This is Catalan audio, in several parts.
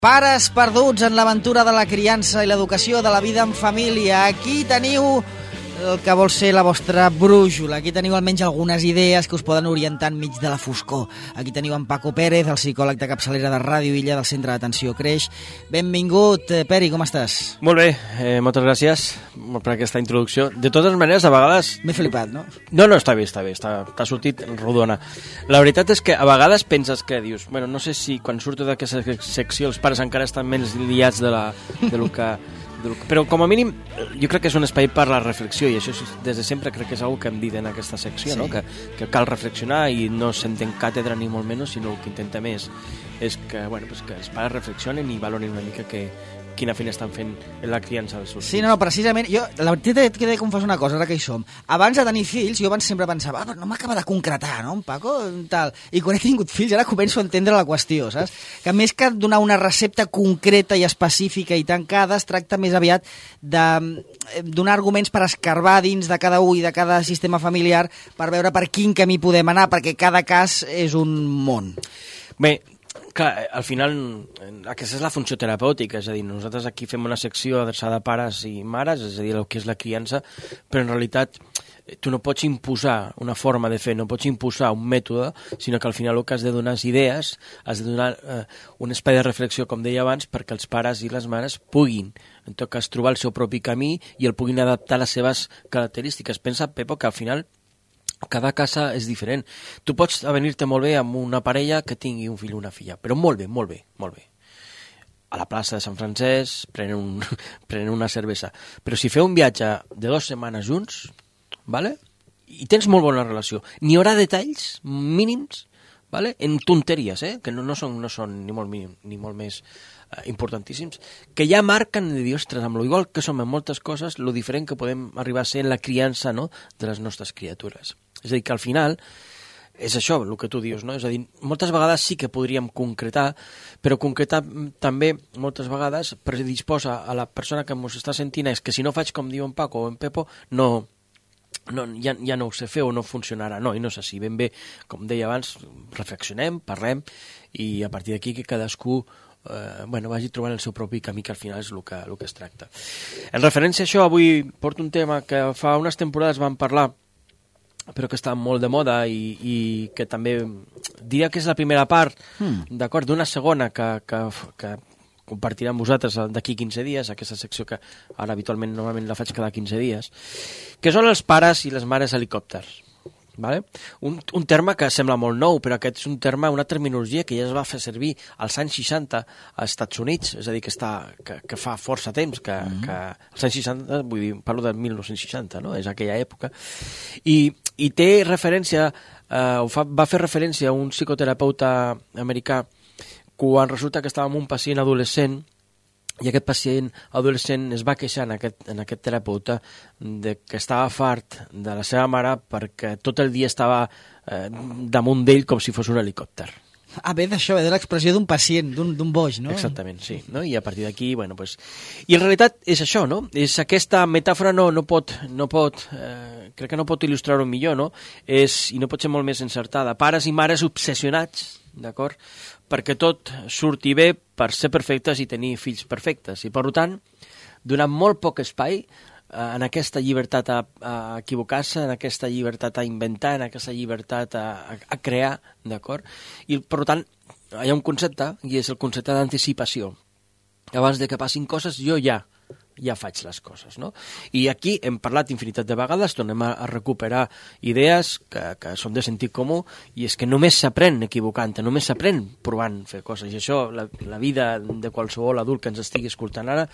Pares perduts en l'aventura de la criança i l'educació de la vida en família. Aquí teniu el que vol ser la vostra brújula. Aquí teniu almenys algunes idees que us poden orientar enmig de la foscor. Aquí teniu en Paco Pérez, el psicòleg de capçalera de Ràdio Illa del Centre d'Atenció Creix. Benvingut, Peri, com estàs? Molt bé, moltes gràcies per aquesta introducció. De totes maneres, a vegades... M'he flipat, no? No, està bé, t'ha sortit rodona. La veritat és que a vegades penses que dius, bueno, no sé si quan surto d'aquesta secció els pares encara estan menys liats de lo que... Però com a mínim jo crec que és un espai per la reflexió i això des de sempre crec que és una que hem dit en aquesta secció, sí. No? Que cal reflexionar i no s'entén càtedra ni molt menys, sinó el que intentem és que, bueno, pues que els pares reflexionen i valorin una mica quina feina estan fent en la criança dels seus fills. Sí, no, precisament, jo, la veritat que he de confessar una cosa, ara que hi som. Abans de tenir fills, jo sempre pensava, però no m'acaba de concretar, no, en Paco, tal. I quan he tingut fills, ara començo a entendre la qüestió, saps? Que més que donar una recepta concreta i específica i tancada, es tracta més aviat de donar arguments per escarbar dins de cada un i de cada sistema familiar per veure per quin camí podem anar, perquè cada cas és un món. Bé, clar, al final aquesta és la funció terapèutica, és a dir, nosaltres aquí fem una secció adreçada a pares i mares, és a dir, el que és la criança, però en realitat tu no pots imposar una forma de fer, no pots imposar un mètode, sinó que al final el que has de donar és idees, has de donar un espai de reflexió, com deia abans, perquè els pares i les mares puguin, en tot cas, trobar el seu propi camí i el puguin adaptar a les seves característiques. Pensa, Pepo, que al final cada casa és diferent. Tu pots avenir-te molt bé amb una parella que tingui un fill o una filla, però molt bé. A la plaça de Sant Francesc, prenen una cervesa. Però si feu un viatge de 2 setmanes junts, vale? I tens molt bona relació, n'hi haurà detalls mínims, vale? En tonteries, que no són ni molt mínim, ni molt més importantíssims, que ja marquen de dir, ostres, amb lo igual que som en moltes coses, lo diferent que podem arribar a ser en la criança, no?, de les nostres criatures. És a dir, que al final és això, el que tu dius, no? És a dir, moltes vegades sí que podríem concretar, però concretar també moltes vegades predisposa a la persona que ens està sentint és que si no faig com diu en Paco o en Pepo, ja no ho sé fer o no funcionarà. No, i no és així. Ben bé, com deia abans, reflexionem, parlem i a partir d'aquí que cadascú vagi trobant el seu propi camí, que al final és el que es tracta. En referència a això, avui porto un tema que fa unes temporades vam parlar, però que està molt de moda i que també diria que és la primera part, d'acord, d'una segona que compartiré amb vosaltres d'aquí 15 dies, aquesta secció que ara habitualment normalment la faig cada 15 dies, que són els pares i les mares helicòpters. Vale? Un terme que sembla molt nou, però aquest és un terme, una terminologia que ja es va fer servir als anys 60 als Estats Units, és a dir, que fa força temps, que als anys 60, vull dir, parlo de 1960, no? És aquella època, i té referència, va fer referència a un psicoterapeuta americà quan resulta que estava amb un pacient adolescent i aquest pacient adolescent es va queixar en aquest terapeuta de que estava fart de la seva mare perquè tot el dia estava damunt d'ell com si fos un helicòpter. Ve d'això, ve de l'expressió d'un pacient, d'un boig, no? Exactament, sí. No? I a partir d'aquí, bueno, pues... I en realitat és això, no? És aquesta metàfora no pot crec que no pot il·lustrar-ho millor, no? I no pot ser molt més encertada. Pares i mares obsessionats, d'acord? Perquè tot surti bé per ser perfectes i tenir fills perfectes. I, per tant, donant molt poc espai en aquesta llibertat a equivocar-se, en aquesta llibertat a inventar, en aquesta llibertat a crear, d'acord? I, per tant, hi ha un concepte, i és el concepte d'anticipació. Abans de que passin coses, jo ja faig les coses, no? I aquí hem parlat infinitat de vegades, tornem a recuperar idees que són de sentit comú, i és que només s'aprèn equivocant-te, només s'aprèn provant fer coses, i això, la vida de qualsevol adult que ens estigui escoltant ara,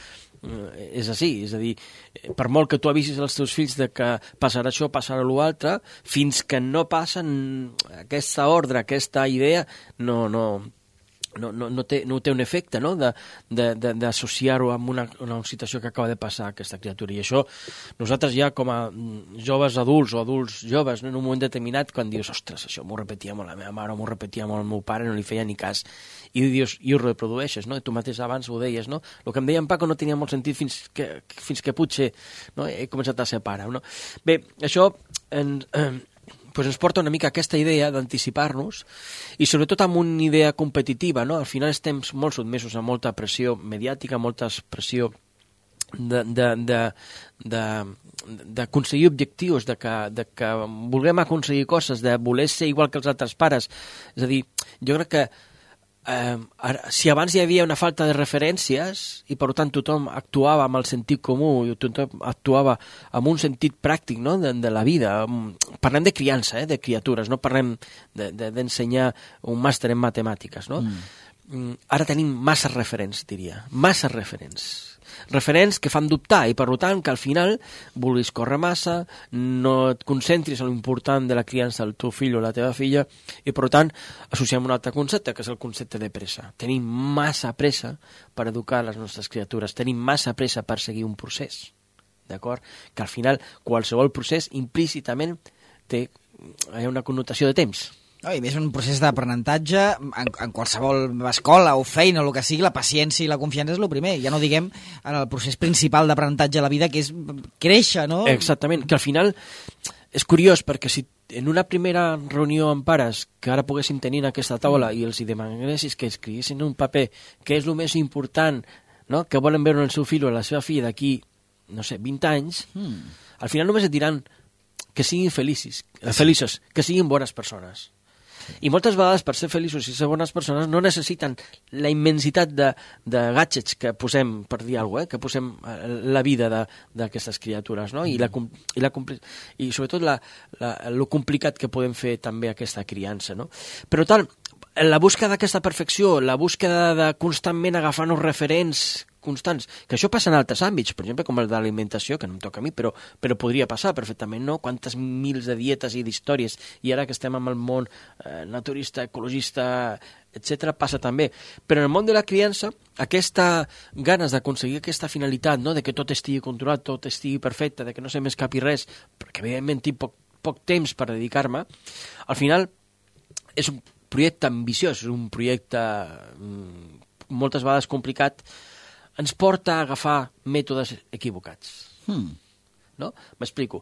és així, és a dir, per molt que tu avisis als teus fills de que passarà això, passarà l'altre, fins que no passen aquesta ordre, aquesta idea, no té un efecte, no?, d'associar-ho amb una situació que acaba de passar a aquesta criatura. I això, nosaltres ja com a joves adults o adults joves, no?, en un moment determinat, quan dius, ostres, això m'ho repetia molt la meva mare o m'ho repetia molt el meu pare, no li feia ni cas, i dius, i ho reprodueixes, no?, i tu mateix abans ho deies, no?, el que em deia en Paco no tenia molt sentit fins que potser, no?, he començat a ser pare, no? Bé, això pues ens porta una mica aquesta idea d'anticipar-nos i sobretot amb una idea competitiva, no? Al final estem molt sotmesos a molta pressió mediàtica, molta pressió d'aconseguir objectius, de que vulguem aconseguir coses, de voler ser igual que els altres pares. És a dir, jo crec que si abans hi havia una falta de referències i per tant tothom actuava amb el sentit comú i tothom actuava amb un sentit pràctic, no? de la vida, parlem de criança, de criatures, no parlem d'ensenyar un màster en matemàtiques, no? Ara tenim massa referents, diria, massa referents que fan dubtar i per tant que al final vulguis córrer massa, no et concentris en l'important de la criança del teu fill o la teva filla i per tant associem un altre concepte que és el concepte de pressa. Tenim massa pressa per educar les nostres criatures, tenim massa pressa per seguir un procés, d'acord? Que al final qualsevol procés implícitament té una connotació de temps. No, i més un procés d'aprenentatge en qualsevol escola o feina o el que sigui, la paciència i la confiança és el primer, ja no diguem en el procés principal d'aprenentatge a la vida que és créixer, no? Exactament, que al final és curiós perquè si en una primera reunió amb pares que ara poguéssim tenir en aquesta taula i els demanessis que escriguessin un paper que és el més important, no? Que volen veure el seu fill o la seva filla d'aquí, no sé, 20 anys, al final només et diran que siguin feliços, que siguin bones persones. I moltes vegades per ser feliços i ser bones persones no necessiten la immensitat de gadgets que posem, per dir alguna cosa, que posem la vida d'aquestes criatures, no? I sobretot lo complicat que podem fer també aquesta criança, no? Però tal, la búsqueda d'aquesta perfecció, la búsqueda de constantment agafar-nos referents constants, que això passa en altres àmbits, per exemple, com el de l'alimentació, que no em toca a mi, però podria passar perfectament, no? Quantes mils de dietes i d'històries, i ara que estem en el món naturista, ecologista, etc., passa també. Però en el món de la criança, aquesta ganes d'aconseguir aquesta finalitat, no? De que tot estigui controlat, tot estigui perfecte, de que no se m'escapi res, perquè evidentment tinc poc temps per dedicar-me, al final és un projecte ambiciós, és un projecte moltes vegades complicat, ens porta a agafar mètodes equivocats. No? M'explico.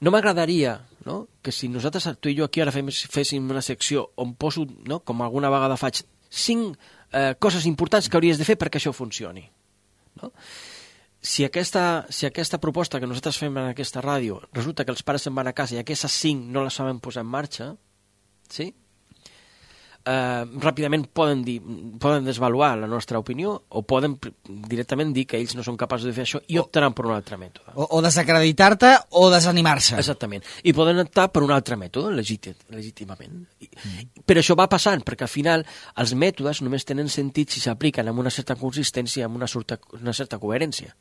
No m'agradaria, no? Que si nosaltres, tu i jo aquí ara féssim una secció on poso, no? Com alguna vegada faig, 5 coses importants que hauries de fer perquè això funcioni. No? Si aquesta proposta que nosaltres fem en aquesta ràdio resulta que els pares se'n van a casa i aquestes 5 no les saben posar en marxa, sí? Ràpidament poden desvaluar la nostra opinió o poden directament dir que ells no són capaços de fer això i optaran per un altre mètode. O desacreditar-te o desanimar-se. Exactament. I poden optar per un altre mètode, legítimament. Però això va passant, perquè al final els mètodes només tenen sentit si s'apliquen amb una certa consistència i amb una certa coherència.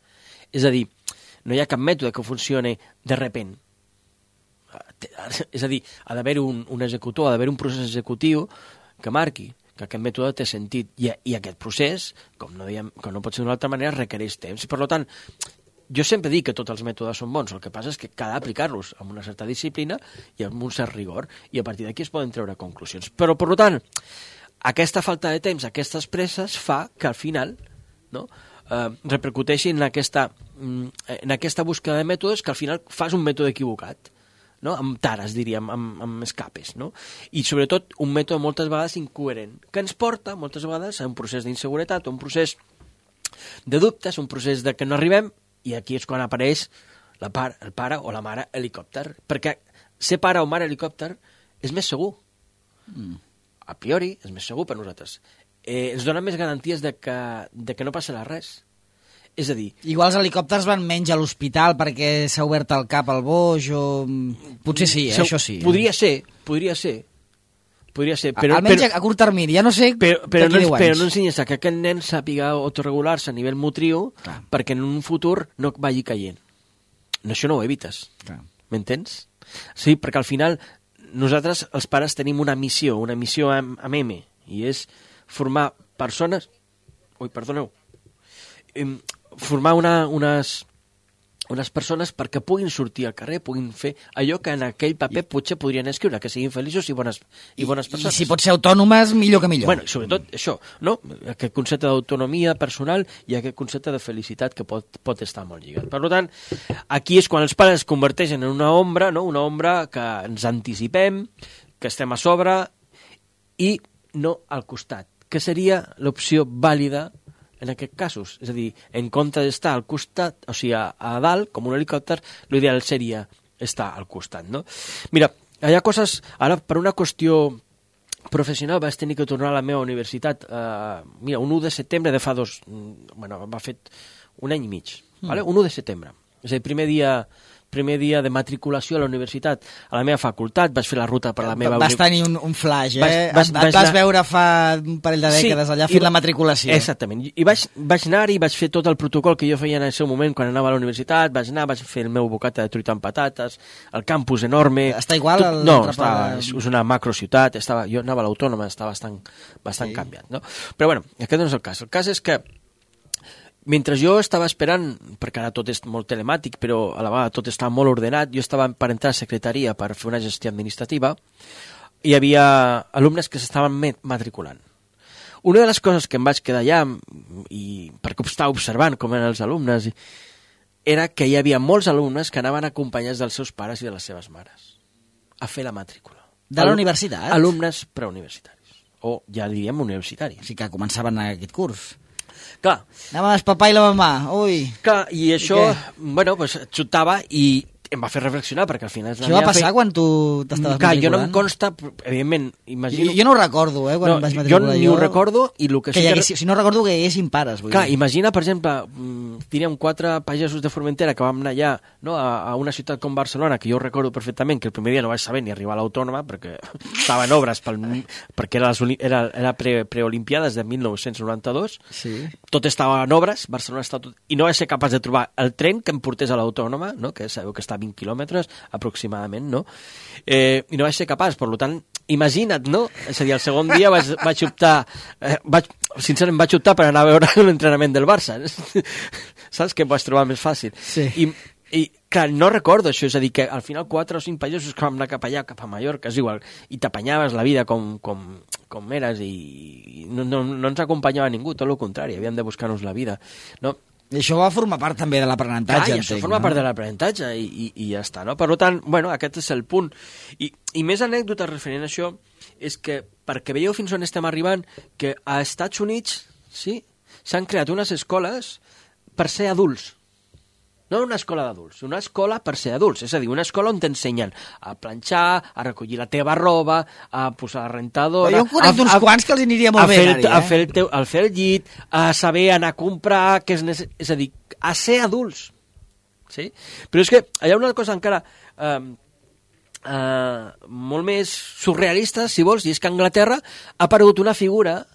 És a dir, no hi ha cap mètode que funcioni de repent. És a dir, ha d'haver un executor, ha d'haver un procés executiu que marqui que aquest mètode té sentit i aquest procés, com no pot ser d'una altra manera, requereix temps. I per tant, jo sempre dic que tots els mètodes són bons, el que passa és que cal aplicar-los amb una certa disciplina i amb un cert rigor, i a partir d'aquí es poden treure conclusions. Però, per tant, aquesta falta de temps, aquestes presses, fa que al final, no, repercuteixi en aquesta búsqueda de mètodes que al final fas un mètode equivocat, no? Amb tares, diríem, amb escapes, no? I sobretot un mètode moltes vegades incoherent, que ens porta moltes vegades a un procés d'inseguretat, un procés de dubtes, un procés de que no arribem, i aquí és quan apareix el pare o la mare helicòpter, perquè ser pare o mare helicòpter és més segur. A priori és més segur per nosaltres. Ens dona més garanties de que no passarà res. És a dir... Igual els helicòpters van menys a l'hospital perquè s'ha obert el cap al boix o... Potser sí, això sí. Podria ser. Però, almenys a curt termini, ja no sé però no ensenyes que aquest nen sàpiga autorregular-se a nivell motriu perquè en un futur no vagi caient. Això no ho evites. M'entens? Sí, perquè al final nosaltres, els pares, tenim una missió amb M, i és formar persones... Ui, perdoneu. Formar unes persones perquè puguin sortir al carrer, puguin fer allò que en aquell paper potser podrien escriure, que siguin feliços i bones persones. I si pot ser autònomes, millor que millor. Bueno, sobretot això, no? Aquest concepte d'autonomia personal i aquest concepte de felicitat que pot estar molt lligat. Per tant, aquí és quan els pares es converteixen en una ombra, no? Una ombra que ens anticipem, que estem a sobre i no al costat, que seria l'opció vàlida en aquests casos. És a dir, en compte d'estar al costat, o sigui, a dalt, com un helicòpter, l'ideal seria estar al costat, no? Mira, hi ha coses... Ara, per una qüestió professional, vaig tenir que tornar a la meva universitat, mira, un 1 de setembre de fa va fet un any i mig, vale? Un 1 de setembre. És a dir, primer dia de matriculació a la universitat, a la meva facultat, vaig fer la ruta per la meva... Vas tenir un flash, et vas veure fa un parell de dècades allà fent la matriculació. Exactament, i vaig anar-hi, vaig fer tot el protocol que jo feia en el seu moment quan anava a la universitat, vaig fer el meu bocata de truita amb patates, el campus enorme... Està igual? No, és una macrociutat, jo anava a l'Autònoma, està bastant canviat, no? Però bueno, aquest no és el cas. El cas és que mentre jo estava esperant, perquè ara tot és molt telemàtic, però a la vegada tot està molt ordenat, jo estava per entrar a secretaria per fer una gestió administrativa, hi havia alumnes que s'estaven matriculant. Una de les coses que em vaig quedar allà, i perquè estava observant com eren els alumnes, era que hi havia molts alumnes que anaven acompanyats dels seus pares i de les seves mares a fer la matrícula. De la universitat? Alumnes preuniversitaris, o ja diríem universitaris. O sigui que començaven aquest curs. Clar. Anàvem el papà i la mamà, ui. Clar, i això, xutava i em va fer reflexionar, perquè al final... Això va passar quan tu t'estaves matriculant? Jo no em consta, evidentment, imagino... Jo no ho recordo, quan vaig matricular. Jo ni ho recordo, i el que sí que... Si no recordo que hi haguessin pares, vull dir. Clar, imagina, per exemple, diríem 4 pagesos de Formentera que vam anar allà, no, a una ciutat com Barcelona, que jo recordo perfectament que el primer dia no vaig saber ni arribar a l'Autònoma, perquè estava en obres, perquè era preolimpiades de 1992, sí. Tot estava en obres, Barcelona estava tot... I no vaig ser capaç de trobar el tren que em portés a l'Autònoma, no, que sabeu que està a 20 quilòmetres aproximadament, no? I no vaig ser capaç, per tant, imagina't, no? És a dir, el segon dia vaig optar... sincerament vaig optar per anar a veure l'entrenament del Barça. Saps? Que em vaig trobar més fàcil. Sí. I clar, no recordo això, és a dir, que al final 4 o 5 pagesos que vam anar cap allà, cap a Mallorca, és igual, i t'apanyaves la vida com eres i no ens acompanyava ningú, tot el contrari, havíem de buscar-nos la vida, no? I això va formar part també de l'aprenentatge, entenc. Això forma part de l'aprenentatge i ja està, no? Per tant, aquest és el punt. I més anècdotes referent a això és que, perquè veieu fins on estem arribant, que a Estats Units s'han creat unes escoles per ser adults. No una escola d'adults, una escola per ser adults. És a dir, una escola on t'ensenyen a planxar, a recollir la teva roba, a posar la rentadora... Jo en conec uns quants que els aniria molt bé anar-hi, a fer el llit, a saber anar a comprar... És a dir, a ser adults. Sí? Però és que hi ha una cosa encara molt més surrealista, si vols, i és que a Anglaterra ha aparegut una figura,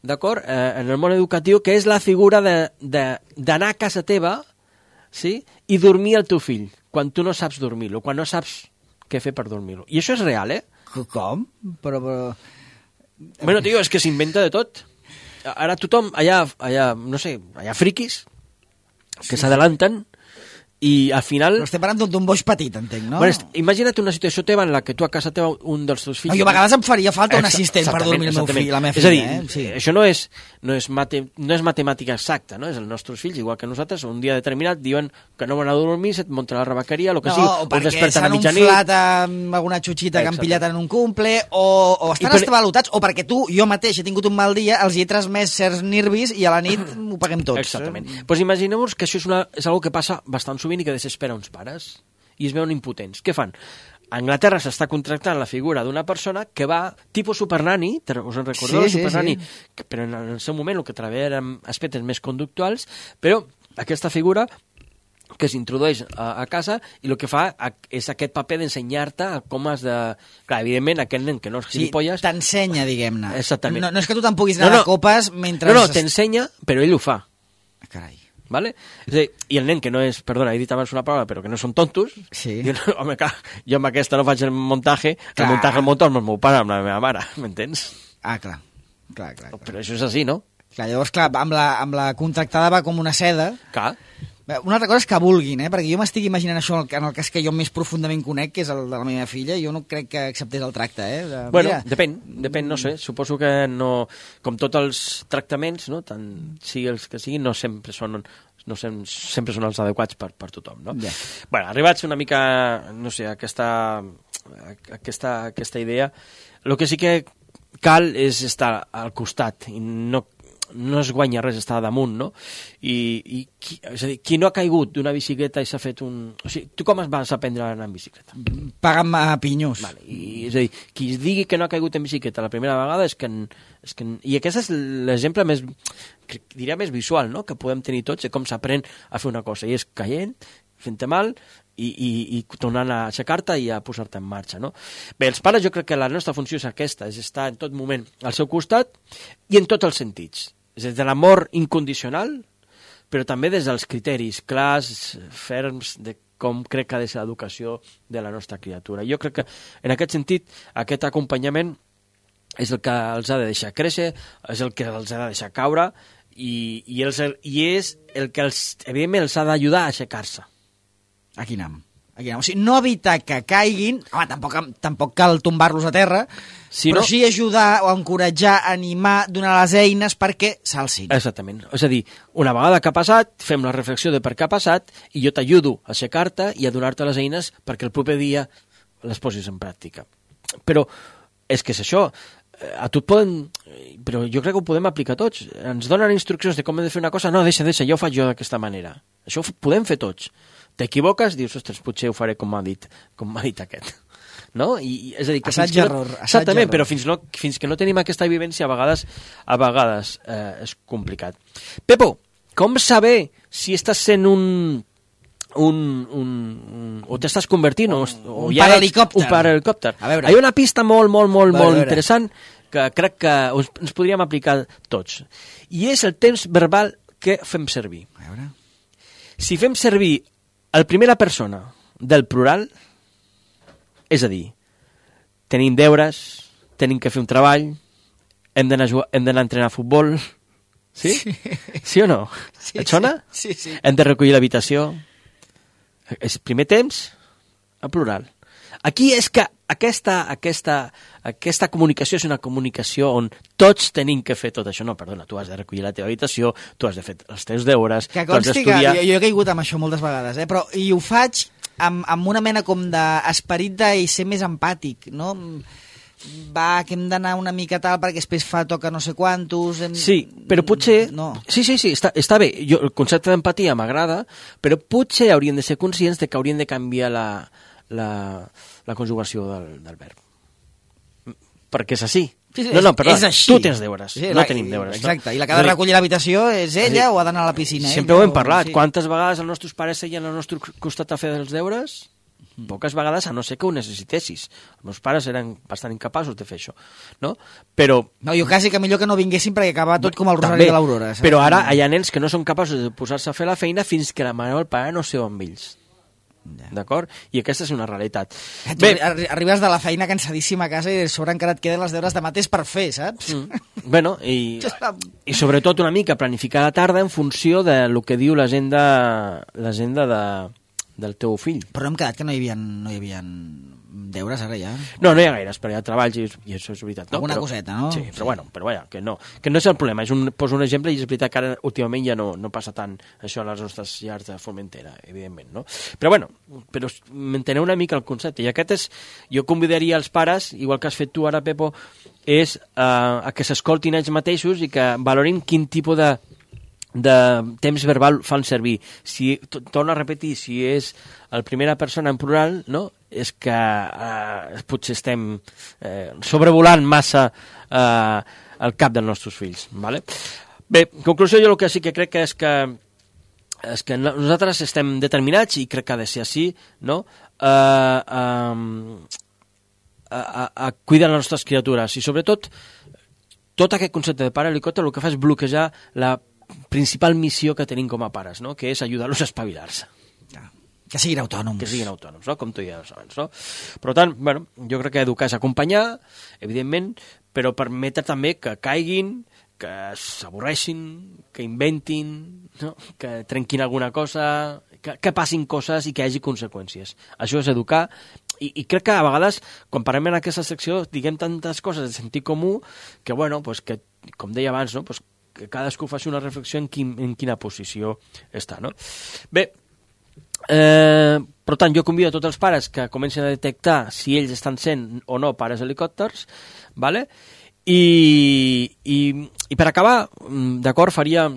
d'acord, en el món educatiu, que és la figura d'anar a casa teva, sí? I dormir el teu fill, quan tu no saps dormir-lo, quan no saps què fer per dormir-lo. I això és real, Com? Però... Bueno, tio, és que s'inventa de tot. Ara tothom, allà friquis, que s'adelanten, i al final... Però estem parlant d'un boix petit, entenc, no? Bueno, imagina't una situació teva en la que tu a casa teva un dels teus fills... No, jo a vegades em faria falta un assistent per dormir el meu fill, la meva filla. És a dir, això no és matemàtica exacta, no? És els nostres fills, igual que nosaltres, un dia determinat diuen que no van a dormir, se't munten a la rebequeria, el que sigui, o perquè s'han inflat amb alguna xutxita que han pillat en un cumple, o estan estravalutats, o perquè jo mateix he tingut un mal dia, els hi he transmès certs nervis i a la nit ho paguem tots. Exactament. Doncs imagineu-vos que això és una que passa bastant sovint i que desespera uns pares i es veuen impotents. Què fan? A Anglaterra s'està contractant la figura d'una persona que va, tipus supernani, us en recordeu? Supernani, però en el seu moment el que treballa eren aspectes més conductuals, però aquesta figura que s'introdueix a casa i el que fa és aquest paper d'ensenyar-te com has de... Clar, evidentment, aquest nen que no és gilipolles... Sí, t'ensenya, diguem-ne. Exactament. No és que tu te'n puguis anar a copes mentre... No, t'ensenya, però ell ho fa. Carai. ¿Vale? És a dir, i el nen que no és, perdona, he dit abans una paraula, però que no són tontos, home, clar, jo amb aquesta no faig el muntatge, el muntatge el motor amb el meu pare, amb la meva mare, m'entens? Ah, clar. Clar. Però això és així, no? Clar, llavors, amb la contractada va com una seda. Clar. Una altra cosa és que vulguin, perquè jo m'estic imaginant això en el cas que jo més profundament conec, que és el de la meva filla, jo no crec que acceptés el tracte, Bueno, depèn, no sé, suposo que no... Com tots els tractaments, no? Tant sigui els que siguin, no sempre són els adequats per tothom, no? Yeah. Bueno, arribats una mica, no sé, a aquesta idea, el que sí que cal és estar al costat i no es guanya res estar damunt, no? És a dir, qui no ha caigut d'una bicicleta i s'ha fet un... O sigui, tu com vas aprendre a anar en bicicleta? Paga'm a pinyos. Vale. És a dir, qui es digui que no ha caigut en bicicleta la primera vegada és que... I aquest és l'exemple més, diria, més visual, no?, que podem tenir tots de com s'aprèn a fer una cosa, i és caient, fent-te mal, i tornant a aixecar-te i a posar-te en marxa, no? Bé, els pares jo crec que la nostra funció és aquesta, és estar en tot moment al seu costat i en tots els sentits. És des de l'amor incondicional, però també des dels criteris clars, ferms, de com crec que ha de ser l'educació de la nostra criatura. Jo crec que, en aquest sentit, aquest acompanyament és el que els ha de deixar créixer, és el que els ha de deixar caure, i és el que, evidentment, els ha d'ajudar a aixecar-se. A quin am. O sigui, no evitar que caiguin, home, tampoc cal tombar-los a terra, però sí ajudar o encoratjar, animar, donar les eines perquè s'alcin. Exactament. És a dir, una vegada que ha passat, fem la reflexió de per què ha passat i jo t'ajudo a aixecar-te i a donar-te les eines perquè el proper dia les posis en pràctica. Però és que és això. A tu et poden... Però jo crec que ho podem aplicar tots. Ens donen instruccions de com hem de fer una cosa. No, deixa, ja ho faig jo d'aquesta manera. Això ho podem fer tots. T'equivoques, dius, ostres, potser ho faré com m'ha dit aquest. No? És a dir, que assaig-error. Exactament, però fins que no tenim aquesta vivència, a vegades és complicat. Pepo, com saber si estàs sent o t'estàs convertint un parahelicòpter. Un parahelicòpter. Hi ha una pista molt interessant que crec que ens podríem aplicar tots. I és el temps verbal que fem servir. A veure. Si fem servir el primera persona del plural, és a dir, tenim deures, tenim que fer un treball, hem d'anar a entrenar a futbol, sí? Sí o no? Sí, et sona? Sí. Hem de recollir l'habitació. És primer temps, en plural. Aquí és que aquesta comunicació és una comunicació on tots tenim que fer tot això. No, perdona, tu has de recollir la teva habitació, tu has de fer els teus deures, que tu has d'estudiar... Jo he caigut amb això moltes vegades, però i ho faig amb una mena com d'esperit de ser més empàtic, no? Va, que hem d'anar una mica tal perquè després toca no sé quantos... Sí, però potser... No. Sí, està bé. El concepte d'empatia m'agrada, però potser hauríem de ser conscients de que hauríem de canviar la conjugació del verb. Perquè és així. Sí, no, perdó, és així. Tu tens deures, no tenim deures. Exacte, i la que ha de recollir l'habitació és ella o ha d'anar a la piscina. Sempre ho hem parlat. Sí. Quantes vegades els nostres pares seien al nostre costat a fer els deures? Poques vegades, a no ser que ho necessitessis. Els meus pares eren bastant incapaços de fer això, no? Però... No, jo quasi que millor que no vinguessin perquè acaba tot com el Rosari de l'Aurora. Però ara hi ha nens que no són capaços de posar-se a fer la feina fins que la mare o el pare no seu amb ells. D'acord? I aquesta és una realitat. Bé, arribes de la feina cansadíssima a casa i de sobre encara et queden les deures de mateix per fer, saps? Bueno, i sobretot una mica planificar la tarda en funció de lo que diu l'agenda del teu fill. Però no hem quedat que no hi havia deures ara ja. No hi ha gaires, però hi ha treballs i això és veritat. No? Alguna coseta, no? Sí, però vaja, que no és el problema. Poso un exemple i és veritat que ara últimament ja no passa tant això a les nostres llars de Formentera, evidentment, no? Però m'enteneu una mica el concepte. I aquest és, jo convidaria els pares, igual que has fet tu ara, Pepo, és a que s'escoltin ells mateixos i que valorin quin tipus de temps verbal fan servir. Si, torno a repetir, si és el primera persona en plural, no? És que potser estem sobrevolant massa el cap dels nostres fills. Vale? Bé, en conclusió, jo el que sí que crec és que nosaltres estem determinats, i crec que ha de ser així, no? A cuidar les nostres criatures, i sobretot tot aquest concepte de pare helicòpter el que fa és bloquejar la principal missió que tenim com a pares, no? Que és ajudar-los a espavilar-se. Que siguin autònoms. No? Com tu ja abans, no? Per tant, jo crec que educar és acompanyar, evidentment, però permetre també que caiguin, que s'avorreixin, que inventin, no? Que trenquin alguna cosa, que passin coses i que hi hagi conseqüències. Això és educar, i crec que a vegades, quan parlem en aquesta secció, diguem tantes coses de sentit comú que, bueno, pues que, com deia abans, no? Pues que cadascú faci una reflexió en quina posició està, no? Bé, per tant, jo convido a tots els pares que comencin a detectar si ells estan sent o no pares helicòpters, ¿vale? I per acabar, d'acord, faria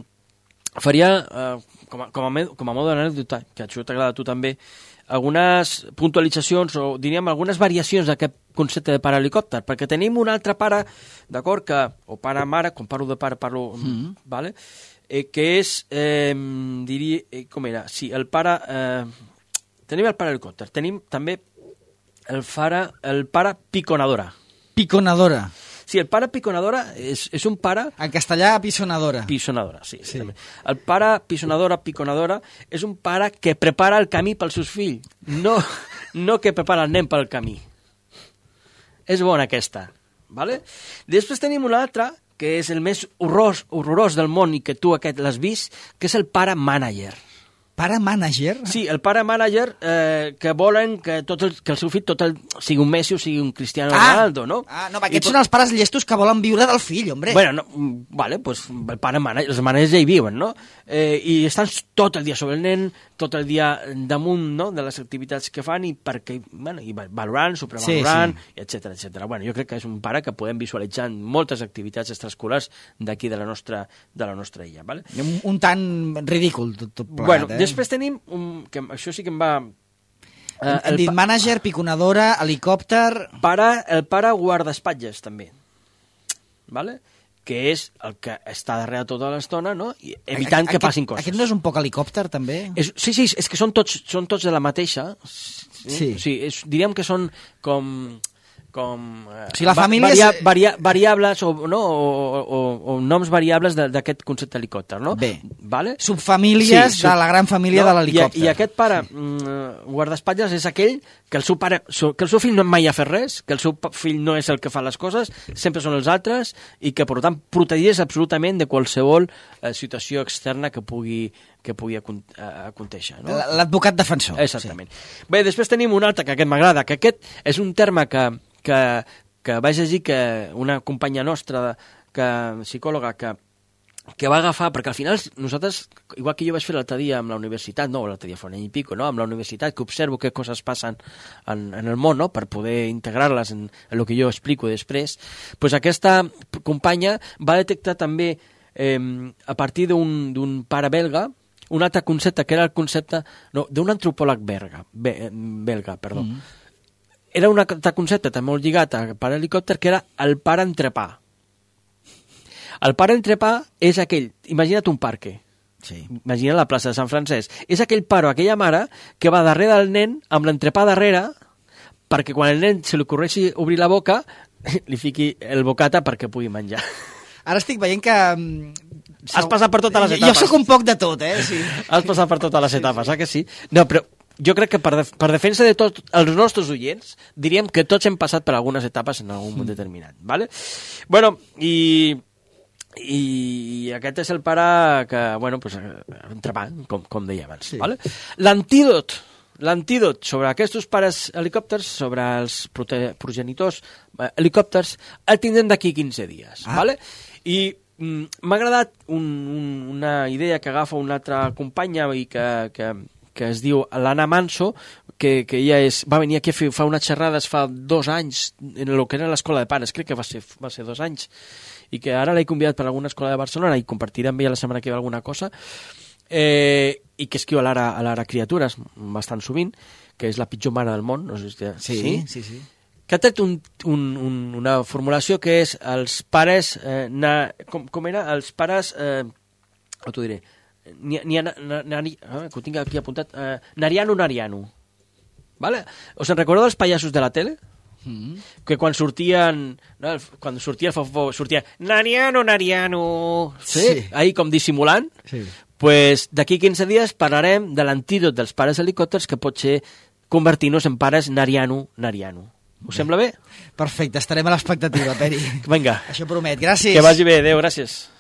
com a mode d'anècdota, que això t'agrada a tu també, algunes puntualitzacions o diríem algunes variacions d'aquest concepte de pare helicòpter, perquè tenim un altre pare, d'acord, o pare-mare, quan parlo de pare parlo, ¿vale? Que és, diria, com era? Sí, el pare... tenim el pare helicòpter, tenim també el pare piconadora. Piconadora. Sí, el pare piconadora és un pare... En castellà, pisonadora. Pisonadora, sí. El pare piconadora és un pare que prepara el camí pels seus fills, no que prepara el nen pel camí. És bona aquesta, ¿vale? Després tenim un altre, que és el més horrorós del món i que tu aquest l'has vist, que és el pare mànager. Pare mànager? Sí, el pare mànager que volen que el seu fill sigui un Messi o sigui un Cristiano Ronaldo, no? No, aquests són els pares llestos que volen viure del fill, hombre. Bueno, vale, pues el pare mànager, els mànagers ja hi viuen, no? I estan tot el dia sobre el nen, tot el dia damunt, no?, de les activitats que fan i perquè, bueno, i valorant, supervalorant, etcètera, etcètera. Bueno, jo crec que és un pare que podem visualitzar en moltes activitats extraescolars d'aquí de la nostra illa, vale? Un tant ridícul tot plegat, bueno, després tenim, que això sí que em va... Hem dit mànager, piconadora, helicòpter... El pare guardaespatlles, també. ¿Vale? Que és el que està darrere tota l'estona, no? I evitant que passin coses. Aquest no és un poc helicòpter, també? Sí, és que són tots de la mateixa. Sí. Diríem que són com si la família variables o noms variables d'aquest concepte helicòpter, no? Bé, vale? Subfamílies de la gran família de l'helicòpter. I aquest pare guardaespatlles és aquell que el seu fill no mai ha fet res, que el seu fill no és el que fa les coses, sempre són els altres, i que per tant protegeix absolutament de qualsevol situació externa que pugui acontéixer. No? L'advocat defensor. Exactament. Sí. Bé, després tenim un altre que aquest m'agrada, que aquest és un terme que vaig llegir que una companya nostra, psicòloga, que va agafar, perquè al final nosaltres, igual que jo vaig fer l'altre dia amb la universitat, l'altre dia fa un any i pico, no? Amb la universitat, que observo què coses passen en el món, no? Per poder integrar-les en el que jo explico després, doncs aquesta companya va detectar també, a partir d'un pare belga, un altre concepte, que era el concepte d'un antropòleg belga. Era un altre concepte també molt lligat al pare helicòpter, que era el pare entrepà. El pare entrepà és aquell, imagina't un parque, imagina't la plaça de Sant Francesc, és aquell pare o aquella mare que va darrere del nen amb l'entrepà darrere perquè quan el nen se li ocorreixi obrir la boca li fiqui el bocata perquè pugui menjar. Ara estic veient que... Has passat per totes les etapes. Jo sóc un poc de tot, Sí. Has passat per totes les etapes, que sí? No, però jo crec que per defensa de tots els nostres oients, diríem que tots hem passat per algunes etapes en algun moment determinat, ¿vale? Bueno, i aquest és el pare que, bueno, pues, entrepà, com deia abans, ¿vale? L'antídot sobre aquests pares helicòpters, sobre els progenitors helicòpters, el tindrem d'aquí 15 dies, ¿vale? I m'ha agradat una idea que agafa una altra companya i que es diu l'Anna Manso, que ella va venir aquí a fer unes xerrades fa 2 anys en el que era l'escola de pares, crec que va ser 2 anys, i que ara l'he convidat per alguna escola de Barcelona i compartiré amb ella la setmana que ve alguna cosa, i que escriu a l'Ara Criatures bastant sovint, que és la pitjor mare del món, no sé si... Sí. Que ha tret una formulació que és els pares... com era? Els pares... t'ho diré... que ho tinc aquí apuntat, Nariano. ¿Vale? Us en recordeu dels pallassos de la tele? Que quan sortien, quan sortia el fofó, sortia Nariano, sí? Ahí com dissimulant. Pues d'aquí 15 dies parlarem de l'antídot dels pares helicòpters, que pot ser convertir-nos en pares Nariano. Us sembla bé? Perfecte, estarem a l'expectativa, Peri. Vinga. Això promet, gràcies. Que vagi bé, adéu, gràcies.